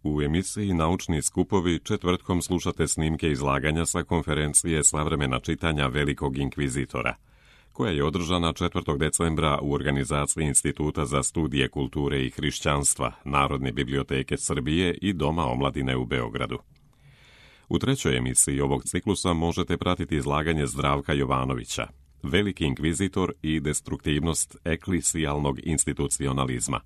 U emisiji Naučni skupovi četvrtkom slušate snimke izlaganja sa konferencije Savremena čitanja Velikog inkvizitora, koja je održana 4. decembra u organizaciji Instituta za studije kulture i hrišćanstva, Narodne biblioteke Srbije i Doma omladine u Beogradu. U trećoj emisiji ovog ciklusa možete pratiti izlaganje Zdravka Jovanovića, Veliki inkvizitor i destruktivnost eklisijalnog institucionalizma,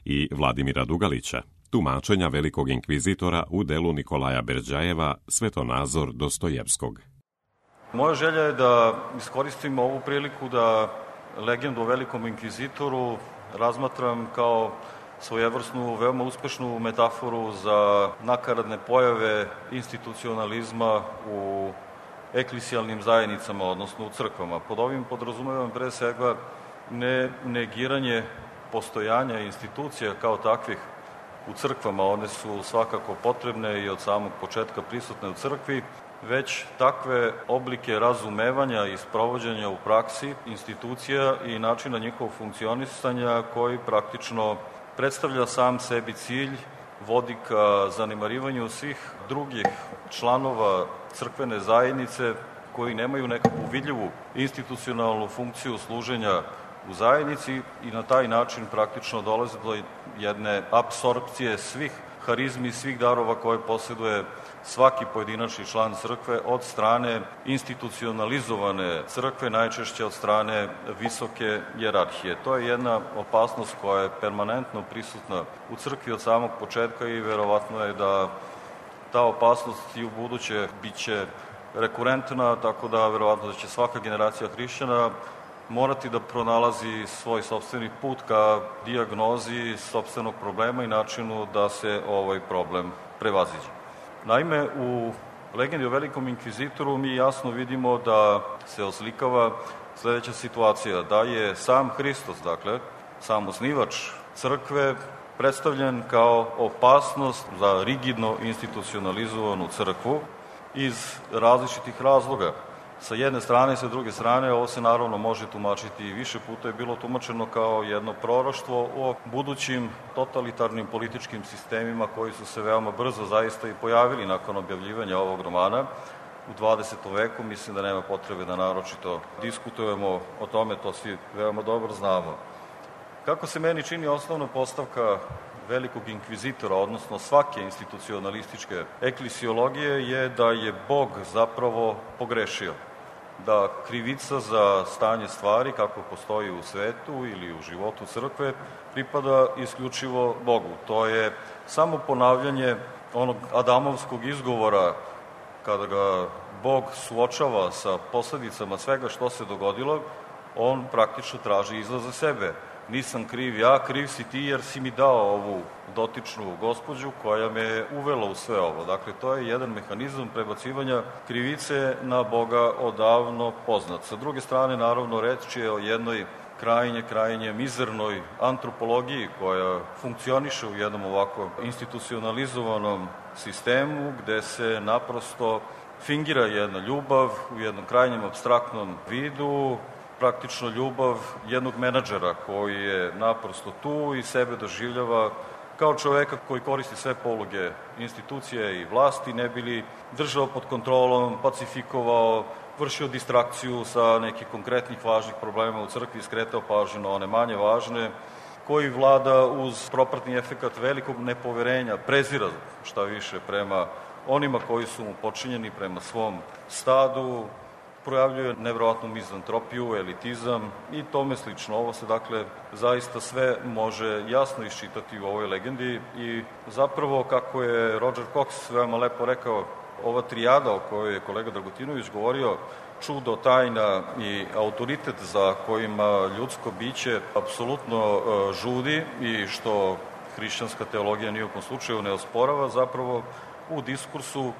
i Vladimira Dugalića, tumačenja Velikog inkvizitora u delu Nikolaja Berđajeva Svetonazor Dostojevskog. Moja želja je da iskoristim ovu priliku da legendu o Velikom inkvizitoru razmatram kao svojevrsnu, veoma uspešnu metaforu za nakaradne pojave institucionalizma u eklisijalnim zajednicama, odnosno u crkvama. Pod ovim podrazumevam pre svega ne negiranje postojanja institucija kao takvih u crkvama, one su svakako potrebne i od samog početka prisutne u crkvi, već takve oblike razumevanja i sprovođenja u praksi institucija i načina njihovog funkcionisanja koji praktično predstavlja sam sebi cilj, vodi ka zanemarivanju svih drugih članova crkvene zajednice koji nemaju nekakvu vidljivu institucionalnu funkciju služenja u zajednici i na taj način praktično dolaze do jedne apsorpcije svih harizmi, svih darova koje posjeduje svaki pojedinačni član crkve od strane institucionalizovane crkve, najčešće od strane visoke hijerarhije. To je jedna opasnost koja je permanentno prisutna u crkvi od samog početka i verovatno je da ta opasnost i u buduće biće rekurentna, tako da verovatno da će svaka generacija hrišćana morati da pronalazi svoj sopstveni put ka dijagnozi sopstvenog problema i načinu da se ovaj problem prevaziđe. Naime, u legendi o Velikom inkvizitoru mi jasno vidimo da se oslikava sledeća situacija, da je sam Hristos, dakle, sam osnivač crkve, predstavljen kao opasnost za rigidno institucionalizovanu crkvu iz različitih razloga. Sa jedne strane, sa druge strane, ovo se naravno može tumačiti i više puta je bilo tumačeno kao jedno proroštvo o budućim totalitarnim političkim sistemima koji su se veoma brzo zaista i pojavili nakon objavljivanja ovog romana u 20. veku. Mislim da nema potrebe da naročito diskutujemo o tome, to svi veoma dobro znamo. Kako se meni čini osnovna postavka Velikog inkvizitora, odnosno svake institucionalističke eklisiologije, je da je Bog zapravo pogrešio. Da krivica za stanje stvari, kako postoji u svetu ili u životu crkve, pripada isključivo Bogu. To je samo ponavljanje onog adamovskog izgovora kada ga Bog suočava sa posledicama svega što se dogodilo, on praktično traži izlaz za sebe. Nisam kriv ja, kriv si ti jer si mi dao ovu dotičnu gospođu koja me je uvela u sve ovo. Dakle, to je jedan mehanizam prebacivanja krivice na Boga odavno poznat. Sa druge strane, naravno, reč je o jednoj krajnje mizernoj antropologiji koja funkcioniše u jednom ovako institucionalizovanom sistemu gde se naprosto fingira jedna ljubav u jednom krajnjem apstraktnom vidu, praktično ljubav jednog menadžera koji je naprosto tu i sebe doživljava kao čoveka koji koristi sve poluge institucije i vlasti, ne bi li držao pod kontrolom, pacifikovao, vršio distrakciju sa nekih konkretnih važnih problema u crkvi, skretao pažnju na one manje važne, koji vlada uz propratni efekat velikog nepoverenja, prezira šta više prema onima koji su mu počinjeni, prema svom stadu, projavljuje nevjerovatnu mizantropiju, elitizam i tome slično. Ovo se, dakle, zaista sve može jasno iščitati u ovoj legendi i zapravo, kako je Roger Cox veoma lepo rekao, ova trijada o kojoj je kolega Dragutinović govorio, čudo, tajna i autoritet za kojima ljudsko biće apsolutno žudi i što hrišćanska teologija ni u kom slučaju ne osporava, zapravo u diskursu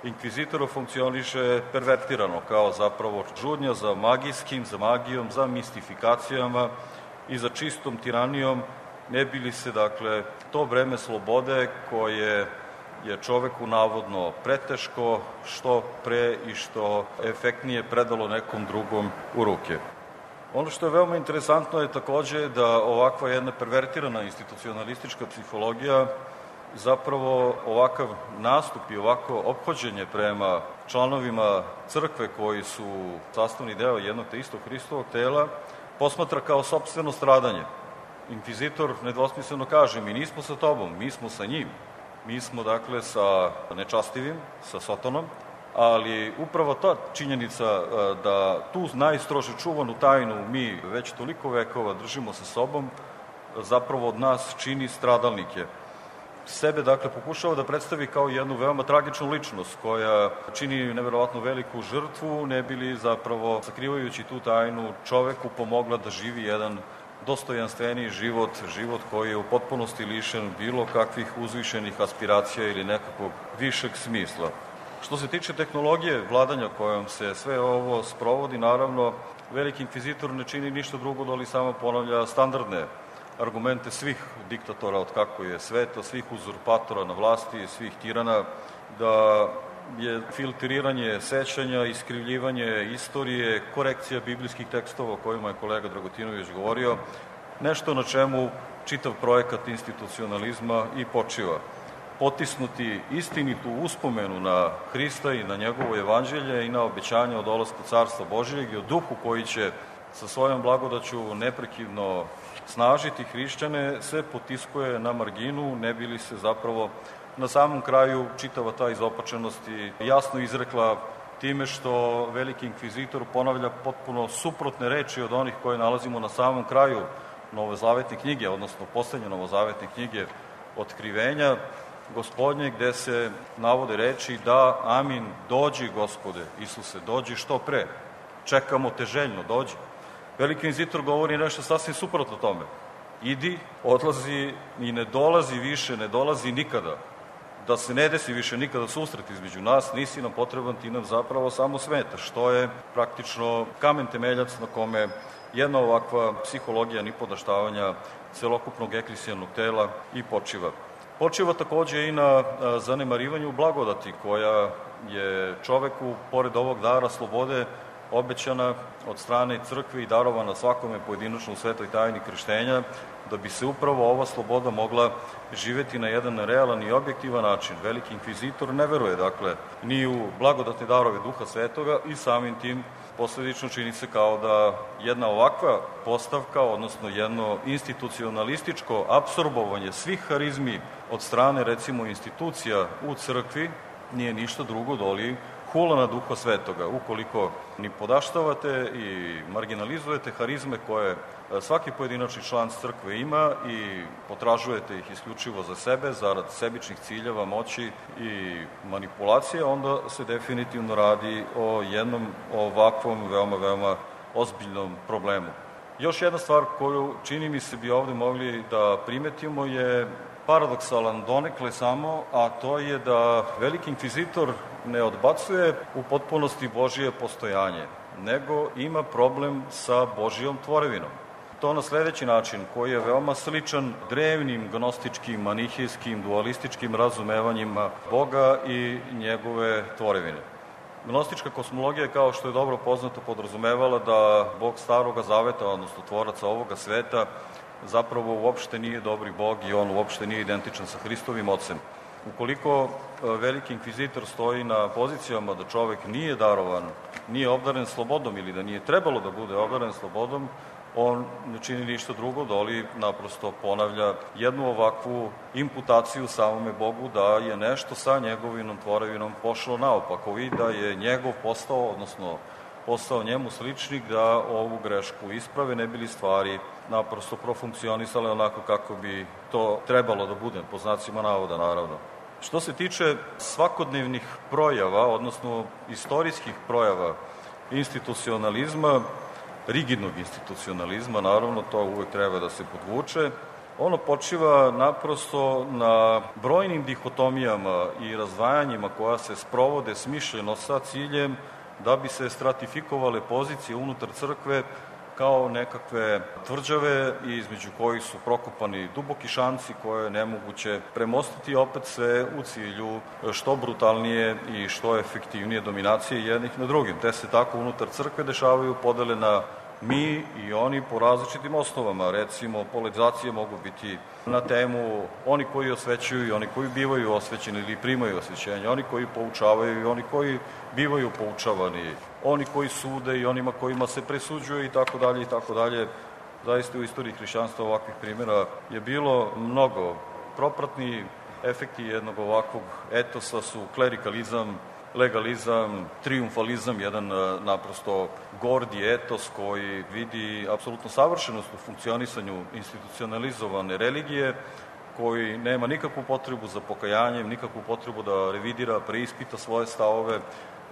inkvizitora funkcioniše pervertirano, kao zapravo žudnja za magijskim, za magijom, za mistifikacijama i za čistom tiranijom, ne bi li se, dakle, to vreme slobode koje je čoveku navodno preteško, što pre i što efektnije predalo nekom drugom u ruke. Ono što je veoma interesantno je takođe da ovakva jedna pervertirana institucionalistička psihologija zapravo ovakav nastup i ovako ophođenje prema članovima crkve koji su sastavni deo jednog te istog Hristovog tela posmatra kao sopstveno stradanje. Inkvizitor nedvosmisleno kaže, mi nismo sa tobom, mi smo sa njim. Mi smo, dakle, sa nečastivim, sa Sotonom, ali upravo ta činjenica da tu najstrože čuvanu tajnu mi već toliko vekova držimo sa sobom, zapravo od nas čini stradalnike. Sebe, dakle, pokušava da predstavi kao jednu veoma tragičnu ličnost koja čini neverovatno veliku žrtvu, ne bili zapravo, sakrivajući tu tajnu, čoveku pomogla da živi jedan dostojanstveniji život, život koji je u potpunosti lišen bilo kakvih uzvišenih aspiracija ili nekakvog višeg smisla. Što se tiče tehnologije vladanja kojom se sve ovo sprovodi, naravno, veliki inkvizitor ne čini ništa drugo da li samo ponavlja standardne argumente svih diktatora od kako je sveta, svih uzurpatora na vlasti, svih tirana, da je filtriranje sećanja, iskrivljivanje istorije, korekcija biblijskih tekstova o kojima je kolega Dragotinović govorio, nešto na čemu čitav projekat institucionalizma i počiva. Potisnuti istinitu uspomenu na Hrista i na njegovo evanđelje i na obećanje o dolasku Carstva Božijeg i o duhu koji će sa svojom blagodaću neprekidno snažiti hrišćane, se potiskuje na marginu, ne bi li se zapravo na samom kraju čitava ta izopačenost i jasno izrekla time što veliki inkvizitor ponavlja potpuno suprotne reči od onih koje nalazimo na samom kraju novozavetne knjige, odnosno poslednje novozavetne knjige Otkrivenja Gospodnje, gde se navode reči da amin, dođi Gospode, Isuse, dođi što pre, čekamo te željno, dođi. Veliki inkvizitor govori nešto sasvim suprotno tome. Idi, odlazi i ne dolazi više, ne dolazi nikada. Da se ne desi više nikada susret između nas, nisi nam potreban, ti nam zapravo samo smetaš, što je praktično kamen temeljac na kome jedna ovakva psihologija nipodaštavanja celokupnog eklesijalnog tela i počiva. Počiva takođe i na zanemarivanju blagodati koja je čoveku, pored ovog dara slobode, obećana od strane crkve i darovana svakome pojedinačno u svetoj tajni krštenja, da bi se upravo ova sloboda mogla živeti na jedan realan i objektivan način. Veliki inkvizitor ne veruje, dakle, ni u blagodatne darove Duha Svetoga i samim tim posledično čini se kao da jedna ovakva postavka, odnosno jedno institucionalističko apsorbovanje svih harizmi od strane, recimo, institucija u crkvi, nije ništa drugo doli hula na Duha Svetoga. Ukoliko ni podaštavate i marginalizujete harizme koje svaki pojedinačni član crkve ima i potražujete ih isključivo za sebe, zarad sebičnih ciljeva, moći i manipulacije, onda se definitivno radi o jednom ovakvom veoma ozbiljnom problemu. Još jedna stvar koju čini mi se bi ovde mogli da primetimo je paradoksalan donekle samo, a to je da veliki inkvizitor ne odbacuje u potpunosti Božije postojanje, nego ima problem sa Božijom tvorevinom. To na sledeći način, koji je veoma sličan drevnim gnostičkim, manihijskim, dualističkim razumevanjima Boga i njegove tvorevine. Gnostička kosmologija, kao što je dobro poznato, podrazumevala da Bog Staroga Zaveta, odnosno tvoraca ovoga sveta, zapravo uopšte nije dobri Bog i on uopšte nije identičan sa Hristovim Ocem. Ukoliko veliki inkvizitor stoji na pozicijama da čovek nije darovan, nije obdaren slobodom ili da nije trebalo da bude obdaren slobodom, on ne čini ništa drugo, doli naprosto ponavlja jednu ovakvu imputaciju samome Bogu da je nešto sa njegovinom tvorevinom pošlo naopako i da je njegov postao, odnosno postao njemu sličnik, da ovu grešku isprave, ne bili stvari naprosto profunkcionisale onako kako bi to trebalo da bude, po znacima navoda naravno. Što se tiče svakodnevnih projava, odnosno istorijskih projava institucionalizma, rigidnog institucionalizma, naravno, to uvek treba da se podvuče, ono počiva naprosto na brojnim dihotomijama i razdvajanjima koja se sprovode smišljeno sa ciljem da bi se stratifikovale pozicije unutar crkve kao nekakve tvrđave između kojih su prokopani duboki šanci koje je nemoguće premostiti, opet sve u cilju što brutalnije i što efektivnije dominacije jednih na drugim. Te se tako unutar crkve dešavaju podele na mi i oni po različitim osnovama. Recimo, polarizacije mogu biti na temu oni koji osvećuju i oni koji bivaju osvećeni ili primaju osvećenje, oni koji poučavaju i oni koji bivaju poučavani, oni koji sude i onima kojima se presuđuje i tako dalje i tako dalje. Zaista u istoriji hrišćanstva ovakvih primjera je bilo mnogo. Propratni efekti jednog ovakvog etosa su klerikalizam, legalizam, triumfalizam, jedan naprosto gordi etos koji vidi apsolutno savršenost u funkcionisanju institucionalizovane religije, koji nema nikakvu potrebu za pokajanjem, nikakvu potrebu da revidira, preispita svoje stavove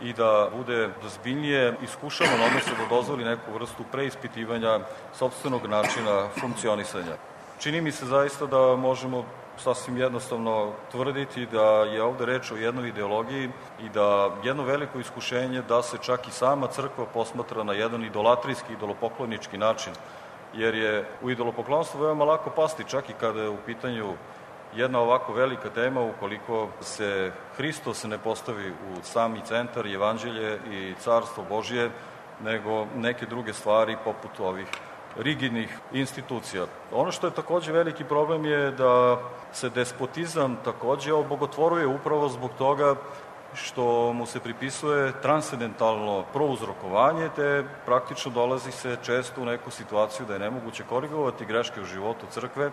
i da bude zbiljnije iskušavan, odnosno da dozvoli neku vrstu preispitivanja sopstvenog načina funkcionisanja. Čini mi se zaista da možemo sasvim jednostavno tvrditi da je ovde reč o jednoj ideologiji i da jedno veliko iskušenje da se čak i sama crkva posmatra na jedan idolatrijski, idolopoklonički način, jer je u idolopoklonstvu veoma lako pasti, čak i kada je u pitanju jedna ovako velika tema, ukoliko se Hristos ne postavi u sami centar, evanđelje i carstvo Božje, nego neke druge stvari poput ovih rigidnih institucija. Ono što je takođe veliki problem je da se despotizam takođe obogotvoruje upravo zbog toga što mu se pripisuje transcendentalno prouzrokovanje, te praktično dolazi se često u neku situaciju da je nemoguće korigovati greške u životu crkve,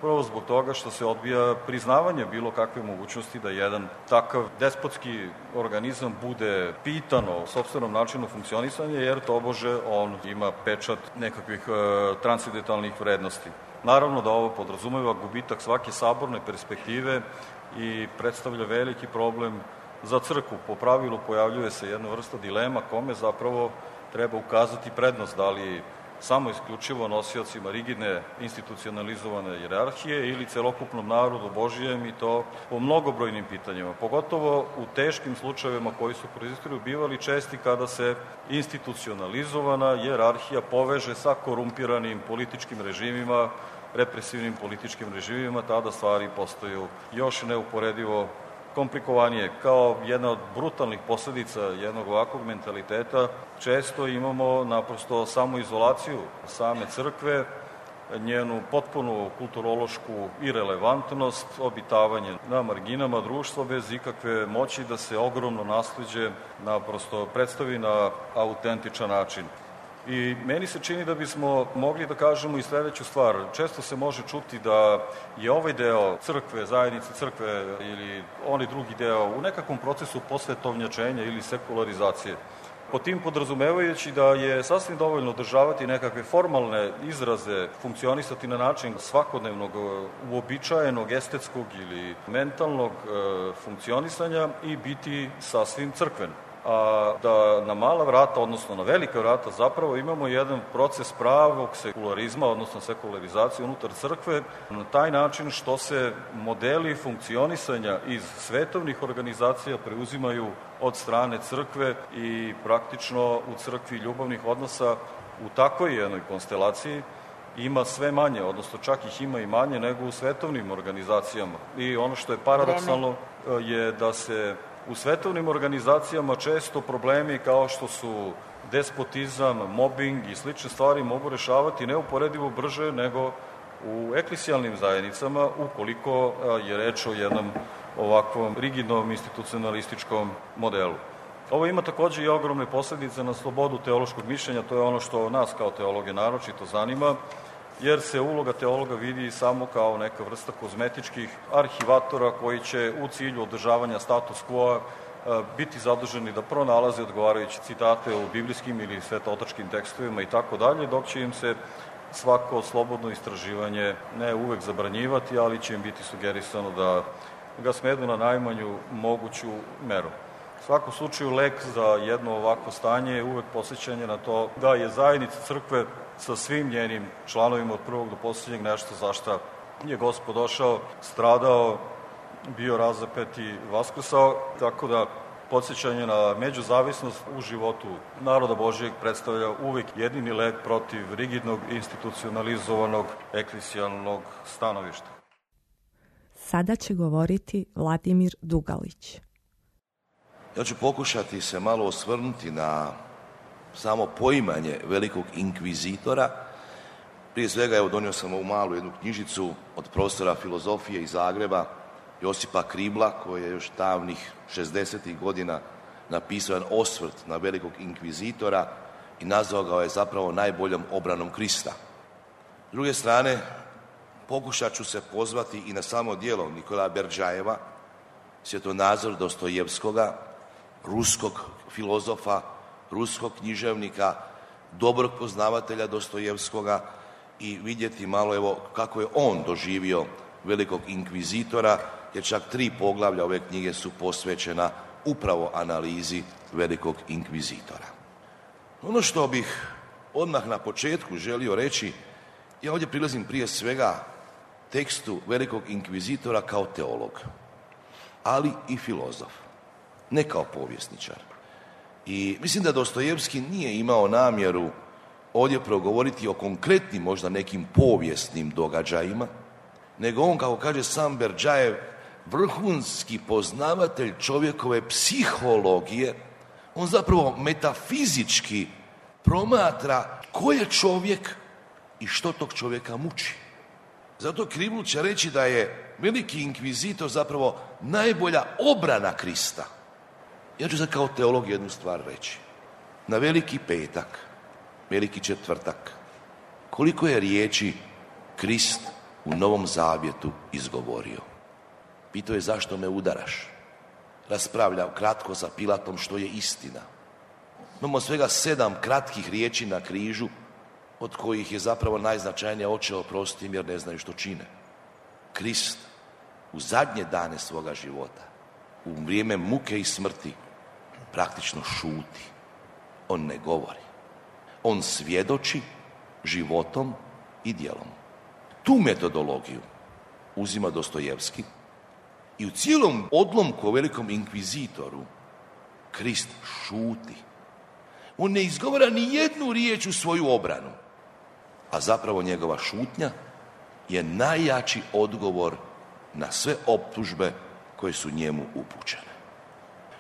prvo zbog toga što se odbija priznavanje bilo kakve mogućnosti da jedan takav despotski organizam bude pitan o sopstvenom načinu funkcionisanja, jer tobože on ima pečat nekakvih transcendentalnih vrednosti. Naravno da ovo podrazumeva gubitak svake saborne perspektive i predstavlja veliki problem za crkvu. Po pravilu pojavljuje se jedna vrsta dilema kome zapravo treba ukazati prednost, da li samo isključivo nosiocima rigidne institucionalizovane hijerarhije ili celokupnom narodu Božijem, i to po mnogobrojnim pitanjima, pogotovo u teškim slučajevima koji su kroz istoriju bivali česti kada se institucionalizovana hijerarhija poveže sa korumpiranim političkim režimima, represivnim političkim režimima, tada stvari postaju još neuporedivo komplikovanije. Kao jedna od brutalnih posledica jednog ovakvog mentaliteta često imamo naprosto samoizolaciju same crkve, njenu potpunu kulturološku irelevantnost, obitavanje na marginama društva bez ikakve moći da se ogromno nasleđe naprosto predstavi na autentičan način. I meni se čini da bismo mogli da kažemo i sledeću stvar. Često se može čuti da je ovaj deo crkve, zajednice crkve ili onaj drugi deo u nekakvom procesu posvetovnjačenja ili sekularizacije. Po tim podrazumevajući da je sasvim dovoljno održavati nekakve formalne izraze, funkcionisati na način svakodnevnog, uobičajenog, estetskog ili mentalnog funkcionisanja i biti sasvim crkven. A da na mala vrata, odnosno na velika vrata, zapravo imamo jedan proces pravog sekularizma, odnosno sekularizacije unutar crkve, na taj način što se modeli funkcionisanja iz svetovnih organizacija preuzimaju od strane crkve i praktično u crkvi ljubavnih odnosa u takvoj jednoj konstelaciji ima sve manje, odnosno čak ih ima i manje nego u svetovnim organizacijama. I ono što je paradoksalno je da se u svetovnim organizacijama često problemi kao što su despotizam, mobbing i slične stvari mogu rešavati neuporedivo brže nego u eklesijalnim zajednicama, ukoliko je reč o jednom ovakvom rigidnom institucionalističkom modelu. Ovo ima takođe i ogromne posledice na slobodu teološkog mišljenja, to je ono što nas kao teologe naročito zanima, jer se uloga teologa vidi samo kao neka vrsta kozmetičkih arhivatora koji će u cilju održavanja status quo biti zaduženi da pronalaze odgovarajuće citate u biblijskim ili svetootačkim tekstovima i tako dalje, dok će im se svako slobodno istraživanje ne uvek zabranjivati, ali će im biti sugerisano da ga smedu na najmanju moguću meru. U svakom slučaju, lek za jedno ovako stanje je uvek posjećanje na to da je zajednica crkve sa svim njenim članovima od prvog do posljednjeg nešto za šta je Gospod došao, stradao, bio razapet i vaskrsao, tako da podsjećanje na međuzavisnost u životu naroda Božijeg predstavlja uvek jedini lek protiv rigidnog, institucionalizovanog, eklesijalnog stanovišta. Sada će govoriti Vladimir Dugalić. Ja ću pokušati se malo osvrnuti na samo poimanje velikog inkvizitora. Prije svega, evo, donio sam ovu malu jednu knjižicu od profesora filozofije iz Zagreba, Josipa Kribla, koji je još davnih 60. godina napisao jedan osvrt na velikog inkvizitora i nazvao ga je zapravo najboljom obranom Krista. S druge strane, pokušat ću se pozvati i na samo djelo Nikolaja Berdjajeva, svjetonazor Dostojevskoga, ruskog filozofa, ruskog književnika, dobrog poznavatelja Dostojevskoga i vidjeti malo, evo, kako je on doživio velikog inkvizitora, jer čak 3 poglavlja ove knjige su posvećena upravo analizi velikog inkvizitora. Ono što bih odmah na početku želio reći, ja ovdje prilazim prije svega tekstu velikog inkvizitora kao teolog, ali i filozof, ne kao povjesničar. I mislim da Dostojevski nije imao namjeru ovdje progovoriti o konkretnim, možda nekim povijesnim događajima, nego on, kako kaže sam Berdjajev, vrhunski poznavatelj čovjekove psihologije, on zapravo metafizički promatra ko je čovjek i što tog čovjeka muči. Zato Kribl će reći da je veliki inkvizitor zapravo najbolja obrana Krista. Ja ću sad kao teolog jednu stvar reći. Na Veliki petak, Veliki četvrtak, koliko je riječi Krist u Novom Zavjetu izgovorio? Pitao je zašto me udaraš. Raspravljao kratko sa Pilatom što je istina. Imamo svega 7 kratkih riječi na križu, od kojih je zapravo najznačajnije Oče oprosti im jer ne znaju što čine. Krist u zadnje dane svoga života, u vrijeme muke i smrti, praktično šuti. On ne govori. On svjedoči životom i djelom. Tu metodologiju uzima Dostojevski i u cijelom odlomku o velikom inkvizitoru Krist šuti. On ne izgovara ni jednu riječ u svoju obranu, a zapravo njegova šutnja je najjači odgovor na sve optužbe koje su njemu upućene.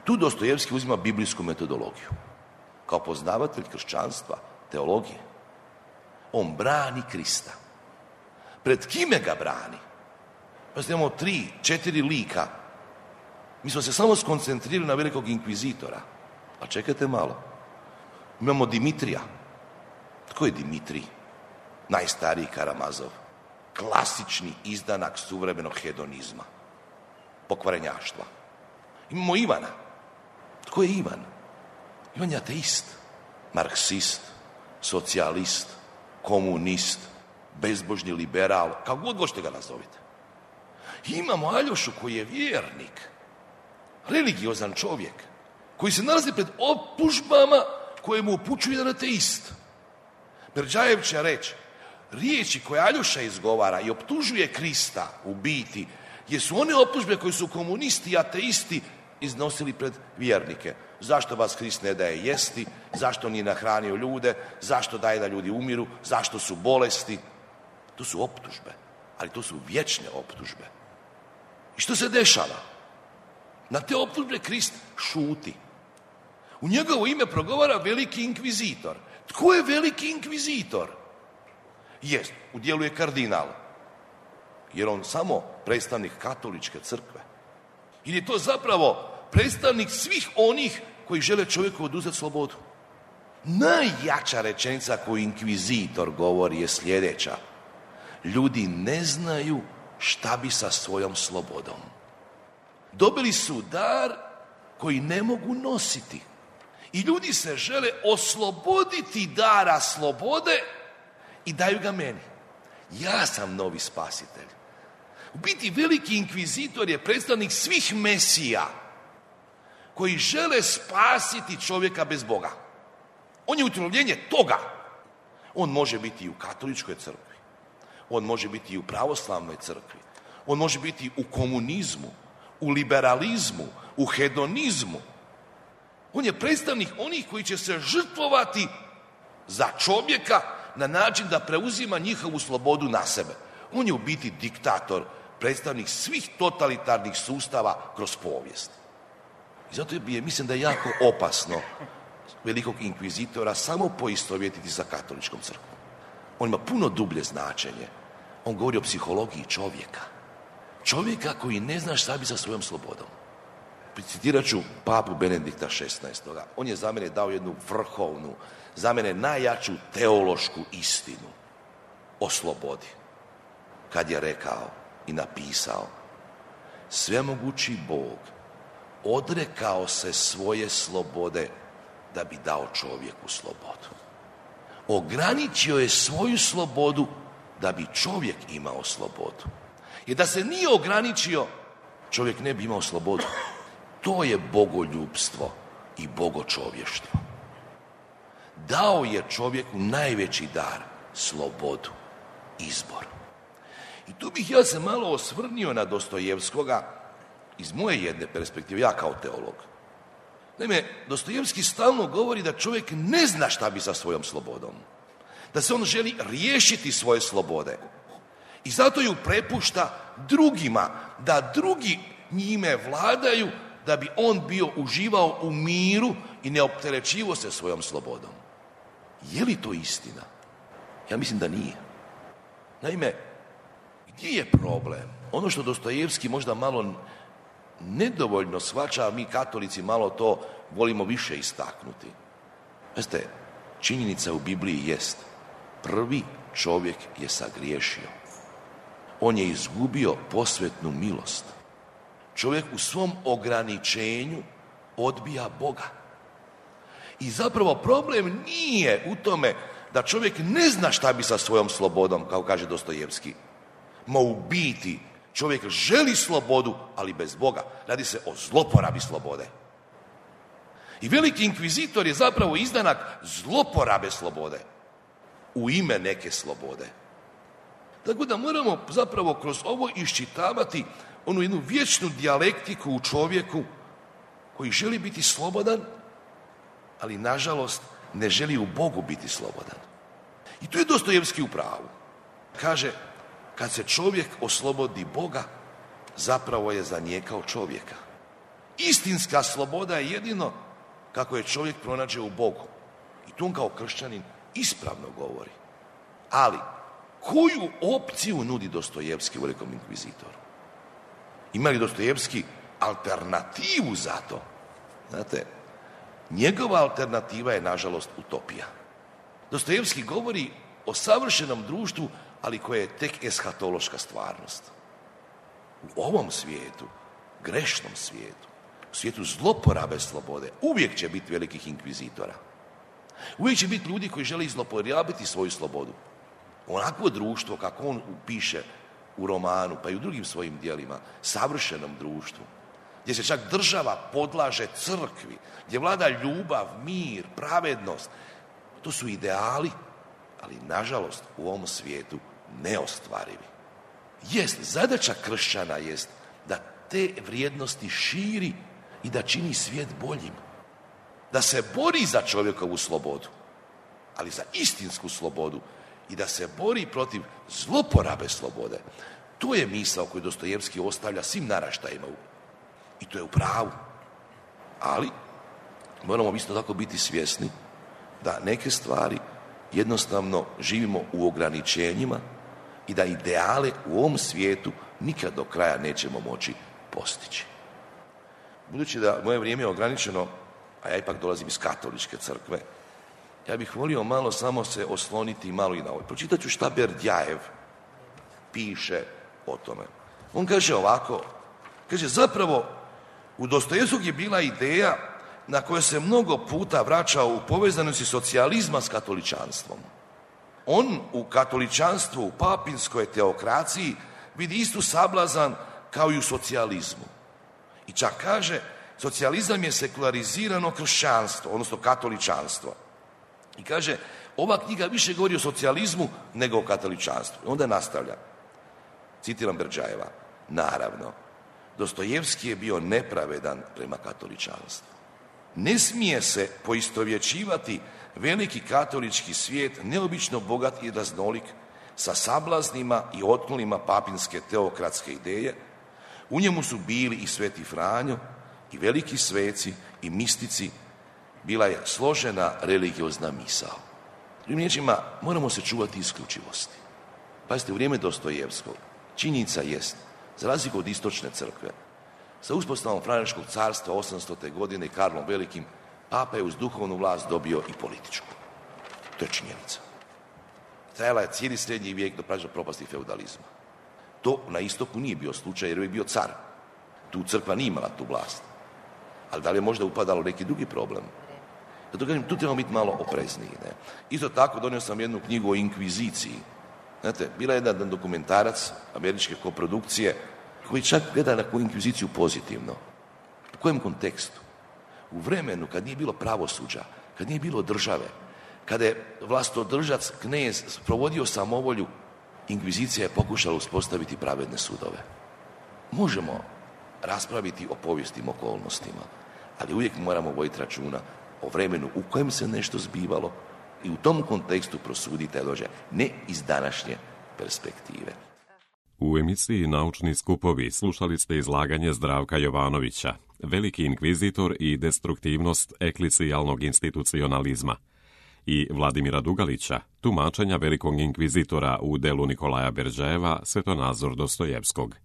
Tu Dostojevski uzima biblijsku metodologiju. Kao poznavatelj kršćanstva, teologije, on brani Krista. Pred kime ga brani? Pa imamo 3-4 lika. Mi smo se samo skoncentrirali na velikog inkvizitora. A čekajte malo. Imamo Dimitrija. Tko je Dimitrij? Najstariji Karamazov. Klasični izdanak suvremenog hedonizma. Pokvarenjaštva. Imamo Ivana. Tko je Ivan? Ivan je ateist. Marksist. Socijalist. Komunist. Bezbožni liberal. Kako god hoćete ga nazovite. Imamo Aljošu koji je vjernik. Religiozan čovjek. Koji se nalazi pred optužbama koje mu upućuje jedan ateist. Berdjajev će reći, riječi koje Aljoša izgovara i optužuje Krista u biti, jesu one optužbe koje su komunisti i ateisti iznosili pred vjernike. Zašto vas Krist ne daje jesti, zašto nije nahranio ljude, zašto daje da ljudi umiru, zašto su bolesti. To su optužbe, ali to su vječne optužbe. I što se dešava? Na te optužbe Krist šuti. U njegovo ime progovara veliki inkvizitor. Tko je veliki inkvizitor? Jest, u dijelu je kardinal. Jer on samo predstavnik katoličke crkve. Ili je to zapravo predstavnik svih onih koji žele čovjeku oduzeti slobodu. Najjača rečenica koju inkvizitor govori je sljedeća. Ljudi ne znaju šta bi sa svojom slobodom. Dobili su dar koji ne mogu nositi. I ljudi se žele osloboditi dara slobode i daju ga meni. Ja sam novi spasitelj. U biti veliki inkvizitor je predstavnik svih mesija koji žele spasiti čovjeka bez Boga. On je utjelovljenje toga. On može biti i u katoličkoj crkvi. On može biti i u pravoslavnoj crkvi. On može biti u komunizmu, u liberalizmu, u hedonizmu. On je predstavnik onih koji će se žrtvovati za čovjeka na način da preuzima njihovu slobodu na sebe. On je u biti diktator, predstavnik svih totalitarnih sustava kroz povijest. I zato mislim da je jako opasno velikog inkvizitora samo poistovjetiti sa katoličkom crkvom. On ima puno dublje značenje. On govori o psihologiji čovjeka. Čovjeka koji ne zna šta bi sa svojom slobodom. Citirat ću papu Benedikta XVI. On je za mene dao jednu vrhovnu, za mene najjaču teološku istinu o slobodi. Kad je rekao i napisao: svemogući Bog odrekao se svoje slobode da bi dao čovjeku slobodu. Ograničio je svoju slobodu da bi čovjek imao slobodu. Jer da se nije ograničio, čovjek ne bi imao slobodu. To je bogoljubstvo i bogočovještvo. Dao je čovjeku najveći dar, slobodu, izbor. I tu bih ja se malo osvrnio na Dostojevskoga iz moje jedne perspektive, ja kao teolog. Naime, Dostojevski stalno govori da čovjek ne zna šta bi sa svojom slobodom. Da se on želi riješiti svoje slobode. I zato ju prepušta drugima, da drugi njime vladaju, da bi on bio uživao u miru i ne opterećivo se svojom slobodom. Je li to istina? Ja mislim da nije. Naime, gdje je problem? Ono što Dostojevski možda malo nedovoljno shvaća, a mi katolici malo to volimo više istaknuti. Znate, činjenica u Bibliji jest: prvi čovjek je sagriješio. On je izgubio posvetnu milost. Čovjek u svom ograničenju odbija Boga. I zapravo problem nije u tome da čovjek ne zna šta bi sa svojom slobodom, kao kaže Dostojevski. Ma u biti čovjek želi slobodu, ali bez Boga. Radi se o zloporabi slobode. I veliki inkvizitor je zapravo izdanak zloporabe slobode u ime neke slobode. Tako da moramo zapravo kroz ovo iščitavati onu jednu vječnu dijalektiku u čovjeku koji želi biti slobodan, ali nažalost ne želi u Bogu biti slobodan. I tu je Dostojevski u pravu. Kaže, kad se čovjek oslobodi Boga, zapravo je zanijekao čovjeka. Istinska sloboda je jedino kako je čovjek pronađe u Bogu. I tu on kao kršćanin ispravno govori. Ali, koju opciju nudi Dostojevski u velikom inkvizitoru? Ima li Dostojevski alternativu za to? Znate, njegova alternativa je, nažalost, utopija. Dostojevski govori o savršenom društvu, ali koje je tek eshatološka stvarnost. U ovom svijetu, grešnom svijetu, u svijetu zloporabe slobode, uvijek će biti velikih inkvizitora. Uvijek će biti ljudi koji žele zloporabiti svoju slobodu. Onakvo društvo, kako on piše u romanu, pa i u drugim svojim dijelima, savršenom društvu, gdje se čak država podlaže crkvi, gdje vlada ljubav, mir, pravednost, to su ideali, ali nažalost u ovom svijetu neostvarivi. Jest, zadaća kršćana jest da te vrijednosti širi i da čini svijet boljim. Da se bori za čovjekovu slobodu, ali za istinsku slobodu, i da se bori protiv zloporabe slobode. To je misao koju Dostojevski ostavlja svim naraštajima. I to je u pravu. Ali moramo isto tako biti svjesni da neke stvari jednostavno živimo u ograničenjima i da ideale u ovom svijetu nikad do kraja nećemo moći postići. Budući da moje vrijeme je ograničeno, a ja ipak dolazim iz katoličke crkve, ja bih volio malo samo se osloniti malo i na ovo. Pročitat ću šta Berdjajev piše o tome. On kaže ovako, kaže zapravo u Dostojevskog je bila ideja na kojoj se mnogo puta vraćao u povezanosti socijalizma s katoličanstvom. On u katoličanstvu, u papinskoj teokraciji vidi istu sablazan kao i u socijalizmu. I čak kaže, socijalizam je sekularizirano kršćanstvo, odnosno katoličanstvo. I kaže, ova knjiga više govori o socijalizmu nego o katoličanstvu. I onda nastavlja, citiram Berdjajeva, naravno, Dostojevski je bio nepravedan prema katoličanstvu. Ne smije se poistovjećivati veliki katolički svijet, neobično bogat i raznolik, sa sablaznima i otklonima papinske teokratske ideje. U njemu su bili i Sveti Franjo, i veliki sveci, i mistici, bila je složena religiozna misao. Drugim riječima, moramo se čuvati isključivosti. Pazite, u vrijeme Dostojevskog činjenica jest, za razliku od istočne crkve, sa uspostavom Franjevačkog carstva 800. godine i Karlom Velikim, papa je uz duhovnu vlast dobio i političku. To je činjenica. Trajala je cijeli srednji vijek do propasti feudalizma. To na istoku nije bio slučaj jer je bio car. Tu crkva nije imala tu vlast. Ali da li je možda upadalo neki drugi problem? Zato kažem, tu trebamo biti malo oprezniji. Ne? Isto tako donio sam jednu knjigu o inkviziciji. Znate, bila je jedan dokumentarac američke koprodukcije koji čak gleda na koju inkviziciju pozitivno. U kojem kontekstu? U vremenu kad nije bilo pravosuđa, kad nije bilo države, kada je vlastodržac, knez, provodio samovolju, inkvizicija je pokušala uspostaviti pravedne sudove. Možemo raspraviti o povijesnim okolnostima, ali uvijek moramo voditi računa o vremenu u kojem se nešto zbivalo i u tom kontekstu prosuditi taj događaj, ne iz današnje perspektive. U emisiji Naučni skupovi slušali ste izlaganje Zdravka Jovanovića, veliki inkvizitor i destruktivnost eklisijalnog institucionalizma, i Vladimira Dugalića, tumačenja velikog inkvizitora u delu Nikolaja Berdžajeva, Svetonazor Dostojevskog.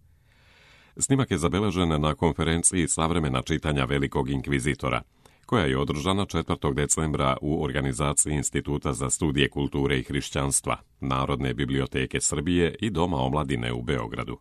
Snimak je zabeležen na konferenciji Savremena čitanja velikog inkvizitora, koja je održana 4. decembra u organizaciji Instituta za studije kulture i hrišćanstva, Narodne biblioteke Srbije i Doma omladine u Beogradu.